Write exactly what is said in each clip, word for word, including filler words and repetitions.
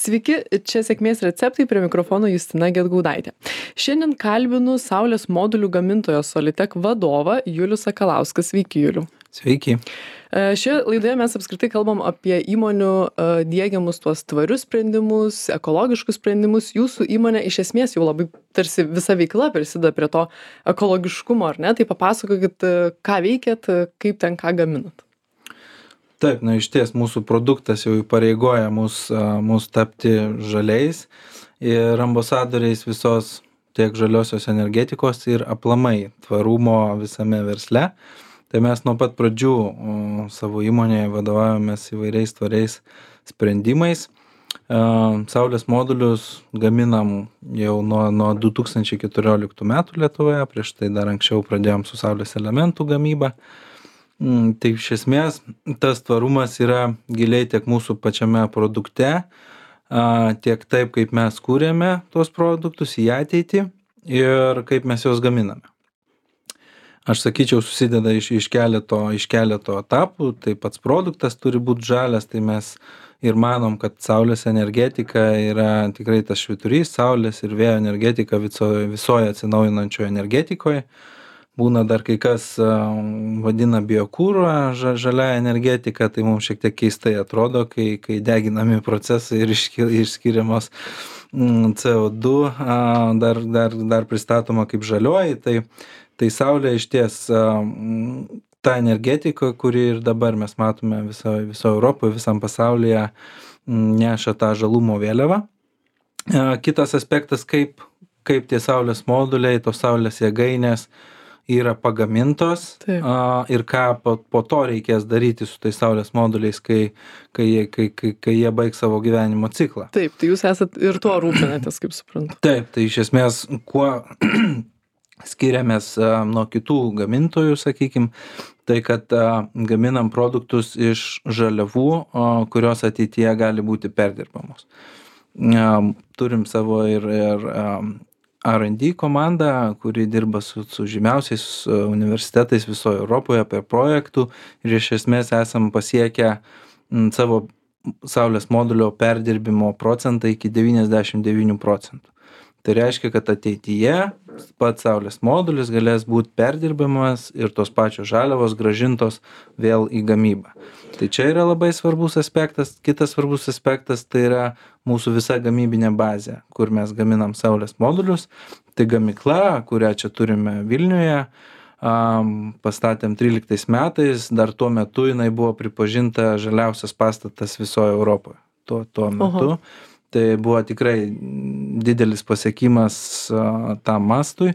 Sveiki, čia sėkmės receptai, prie mikrofono Justina Gedgaudaitė. Šiandien kalbinu saulės modulių gamintojo Solitek vadovą Julių Sakalauską. Sveiki, Julių. Sveiki. Šioje laidoje mes apskritai kalbam apie įmonių diegiamus tuos tvarius sprendimus, ekologiškus sprendimus. Jūsų įmonė iš esmės jau labai tarsi visa veikla prisideda prie to ekologiškumo, ar ne? Tai papasakokit, ką veikėt, kaip ten ką gaminat. Taip, na iš ties mūsų produktas jau įpareigoja mus, mus tapti žaliais ir ambasadoriais visos tiek žaliosios energetikos ir aplamai tvarumo visame versle. Tai mes nuo pat pradžių o, savo įmonėje vadovavomės įvairiais tvariais sprendimais. E, Saulės modulius gaminam jau nuo, nuo du tūkstančiai keturioliktų metų Lietuvoje, prieš tai dar anksčiau pradėjom su saulės elementų gamyba. Mm, tai iš esmės tas tvarumas yra giliai tiek mūsų pačiame produkte, a, tiek taip, kaip mes kūrėme tuos produktus į ateitį ir kaip mes juos gaminame. Aš sakyčiau, susideda iš, iš, keleto, iš keleto etapų, tai pats produktas turi būti žalias, tai mes ir manom, kad saulės energetika yra tikrai tas švyturys, saulės ir vėjo energetika visoje, visoje atsinaujinančioje energetikoje. Būna dar kai kas vadina biokūrą žalia energetika, tai mums šiek tiek keistai atrodo, kai, kai deginami procesai ir išskiriamos C O du dar, dar, dar pristatoma kaip žalioji. Tai Tai saulė iš ties ta energetika, kuri ir dabar mes matome viso, viso Europoje, visam pasaulyje, neša tą žalumo vėliavą. Kitas aspektas, kaip, kaip tie saulės moduliai, tos saulės jėgainės yra pagamintos. Taip. Ir ką po, po to reikės daryti su tais saulės moduliais, kai, kai, jie, kai, kai, kai jie baigs savo gyvenimo ciklą. Taip, tai jūs esat ir tuo rūpinatės, kaip suprantu. Taip, tai iš esmės, kuo skiriamės nuo kitų gamintojų, sakykim, tai kad gaminam produktus iš žaliavų, kurios ateityje gali būti perdirbamos. Turim savo ir, ir R and D komandą, kuri dirba su, su žymiausiais universitetais visoje Europoje apie projektų ir iš esmės esam pasiekę savo saulės modulio perdirbimo procentą iki devyniasdešimt devynių procentų. Tai reiškia, kad ateityje pats saulės modulis galės būti perdirbamas ir tos pačios žaliavos grąžintos vėl į gamybą. Tai čia yra labai svarbus aspektas. Kitas svarbus aspektas tai yra mūsų visa gamybinė bazė, kur mes gaminam saulės modulius. Tai gamykla, kurią čia turime Vilniuje, pastatėm tryliktais metais, dar tuo metu jinai buvo pripažinta žaliausias pastatas visoje Europoje. Tuo, tuo metu. Oho. Tai buvo tikrai didelis pasiekimas tam mastui.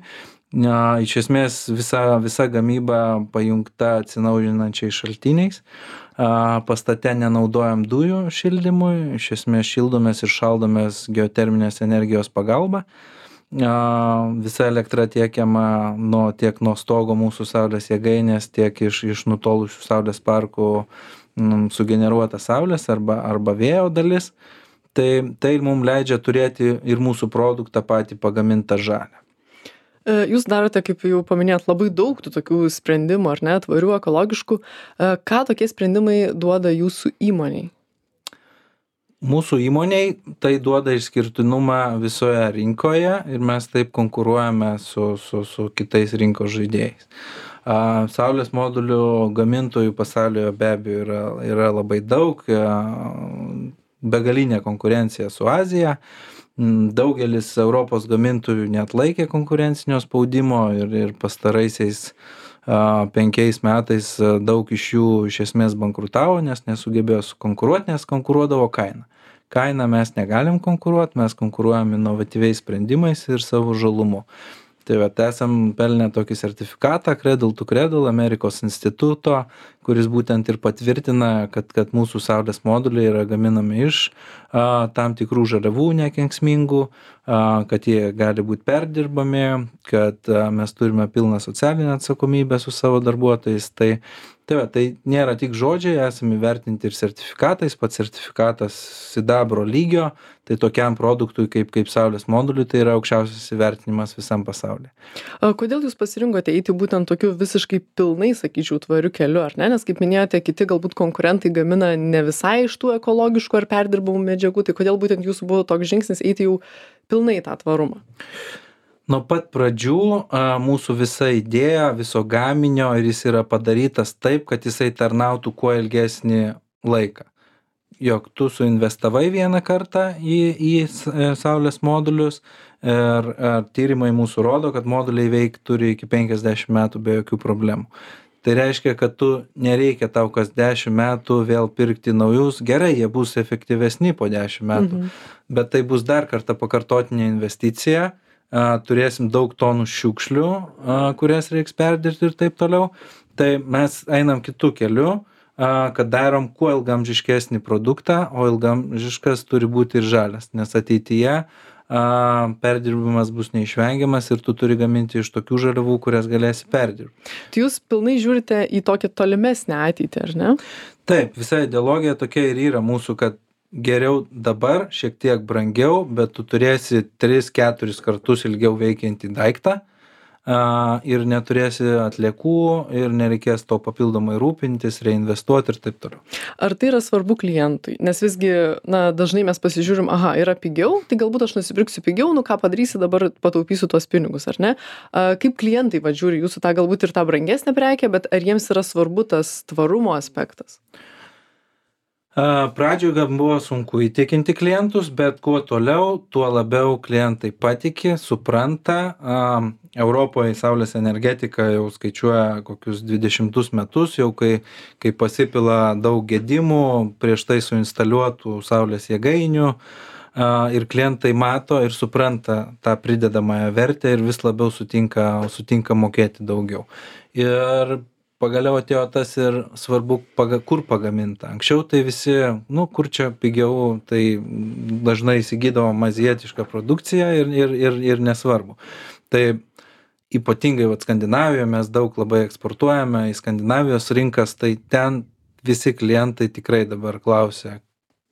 Iš esmės visa, visa gamyba pajungta atsinaujinančiais šaltiniais. Pastate nenaudojam dujų šildymui, iš esmės šildomės ir šaldomės geoterminės energijos pagalba. Visa elektra tiekiama nuo, tiek nuo stogo mūsų saulės jėgainės, tiek iš, iš nutolusių saulės parkų sugeneruota saulės arba, arba vėjo dalis. Tai, tai mums leidžia turėti ir mūsų produktą patį pagamintą žalią. Jūs darote, kaip jau paminėjot, labai daug tų tokių sprendimų, ar ne, tvarių, ekologiškų. Ką tokie sprendimai duoda jūsų įmoniai? Mūsų įmoniai tai duoda išskirtinumą visoje rinkoje ir mes taip konkuruojame su, su, su kitais rinkos žaidėjais. Saulės modulių gamintojų pasaulyje be abejo yra, yra labai daug. Begalinė konkurencija su Azija. Daugelis Europos gamintojų neatlaikė konkurencinio spaudimo ir, ir pastaraisiais a, penkiais metais daug iš jų iš esmės bankrutavo, nes nesugebėjo sukonkuruoti, nes konkuruodavo kainą. Kainą mes negalim konkuruoti, mes konkuruojam inovatyviais sprendimais ir savo žalumu. Tai vat esam pelnę tokį sertifikatą Cradle to Cradle Amerikos instituto, kuris būtent ir patvirtina, kad, kad mūsų saulės moduliai yra gaminami iš a, tam tikrų žaliavų nekenksmingų, kad jie gali būti perdirbami, kad mes turime pilną socialinę atsakomybę su savo darbuotojais. Tai, tai, va, tai nėra tik žodžiai, esame įvertinti ir sertifikatais, pats sertifikatas sidabro lygio, tai tokiam produktui kaip, kaip saulės moduliui tai yra aukščiausias įvertinimas visam pasaulyje. Kodėl jūs pasirinkote eiti būtent tokiu visiškai pilnai, sakyčiau, tvariu keliu, ar ne? Nes kaip minėjote, kiti galbūt konkurentai gamina ne visai iš tų ekologiškų ar perdirbamų medžiagų, tai kodėl būtent jūsų buvo toks žingsnis eiti jau pilnai tą tvarumą? Nuo pat pradžių a, mūsų visa idėja, viso gaminio ir jis yra padarytas taip, kad jisai tarnautų kuo ilgesnį laiką. Jog tu suinvestavai vieną kartą į, į saulės modulius ir a, tyrimai mūsų rodo, kad moduliai veik turi iki penkiasdešimt metų be jokių problemų. Tai reiškia, kad tu nereikia tau kas dešimt metų vėl pirkti naujus, gerai, jie bus efektyvesni po dešimt metų, mhm. bet tai bus dar kartą pakartotinė investicija, a, turėsim daug tonų šiukšlių, a, kurias reiks perdirbti ir taip toliau. Tai mes einam kitų kelių, a, kad darom kuo ilgamžiškesnį produktą, o ilgamžiškas turi būti ir žalias, nes ateityje a, perdirbimas bus neišvengiamas ir tu turi gaminti iš tokių žaliavų, kurias galėsi perdirbti. Tai jūs pilnai žiūrite į tokią tolimesnę ateitį, ar ne? Taip, visa ideologija tokia ir yra mūsų, kad geriau dabar, šiek tiek brangiau, bet tu turėsi tris keturis kartus ilgiau veikiantį daiktą a, ir neturėsi atliekų ir nereikės to papildomai rūpintis, reinvestuoti ir taip toliau. Ar tai yra svarbu klientui? Nes visgi, na, dažnai mes pasižiūrim, aha, yra pigiau, tai galbūt aš nusipirksiu pigiau, nu ką padarysi, dabar pataupysiu tuos pinigus, ar ne? A, kaip klientai va žiūri jūsų tą galbūt ir tą brangesnę prekę, bet ar jiems yra svarbu tas tvarumo aspektas? Pradžioje gal buvo sunku įtikinti klientus, bet kuo toliau, tuo labiau klientai patiki, supranta. Europoje saulės energetika jau skaičiuoja kokius dvidešimtus metus, jau kai, kai pasipila daug gedimų prieš tai suinstaliuotų saulės jėgainių ir klientai mato ir supranta tą pridedamąją vertę ir vis labiau sutinka, sutinka mokėti daugiau. Ir pagaliau atėjo tas ir svarbu, paga, kur pagaminta. Anksčiau tai visi, nu, kur čia pigiau, tai dažnai įsigydavo mazietišką produkciją ir, ir, ir, ir nesvarbu. Tai ypatingai vat, Skandinavijoje mes daug labai eksportuojame į Skandinavijos rinkas, tai ten visi klientai tikrai dabar klausia,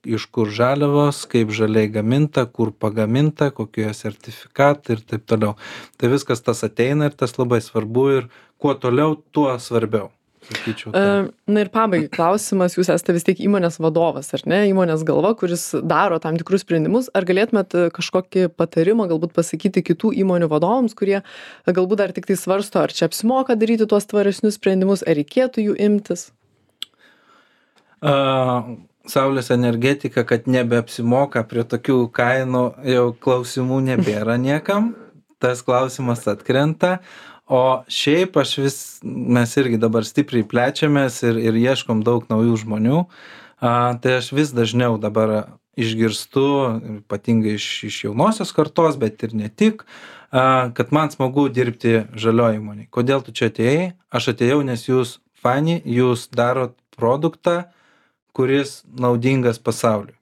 iš kur žaliavos, kaip žaliai gaminta, kur pagaminta, kokie sertifikatai ir taip toliau. Tai viskas tas ateina ir tas labai svarbu ir kuo toliau, tuo svarbiau. Sakyčiau, tai. Na ir pabaigai klausimas, jūs esate vis tiek įmonės vadovas, ar ne, įmonės galva, kuris daro tam tikrus sprendimus. Ar galėtumėt kažkokį patarimą galbūt pasakyti kitų įmonių vadovams, kurie galbūt dar tik tai svarsto, ar čia apsimoka daryti tuos tvaresnius sprendimus, ar reikėtų jų imtis? Uh, Saulės energetika, kad nebeapsimoka prie tokių kainų, jau klausimų nebėra niekam. Tas klausimas atkrenta. O šiaip aš vis, mes irgi dabar stipriai plečiamės ir, ir ieškom daug naujų žmonių. A, tai aš vis dažniau dabar išgirstu, ypatingai iš, iš jaunosios kartos, bet ir ne tik, a, kad man smagu dirbti žalioj įmonėj. Kodėl tu čia atėjai? Aš atėjau, nes jūs fani, jūs darot produktą, kuris naudingas pasauliui.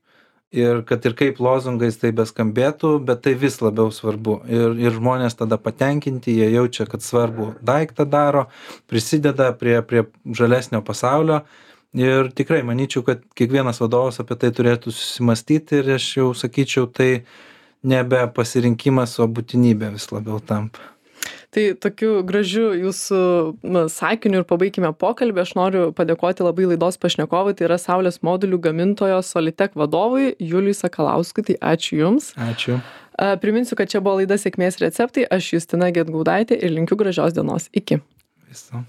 Ir kad ir kaip lozungais tai beskambėtų, bet tai vis labiau svarbu. Ir, ir žmonės tada patenkinti, jie jaučia, kad svarbu daiktą daro, prisideda prie, prie žalesnio pasaulio. Ir tikrai manyčiau, kad kiekvienas vadovas apie tai turėtų susimastyti ir aš jau sakyčiau, tai nebe pasirinkimas, o būtinybė vis labiau tampa. Tai tokiu gražiu jūsų na, sakiniu ir pabaikime pokalbį. Aš noriu padėkoti labai laidos pašnekovui, tai yra saulės modulių gamintojo Solitek vadovui Juliui Sakalauskui. Tai ačiū Jums. Ačiū. Priminsiu, kad čia buvo laida Sėkmės receptai. Aš Justina Gedgaudaitė ir linkiu gražios dienos. Iki. Viso.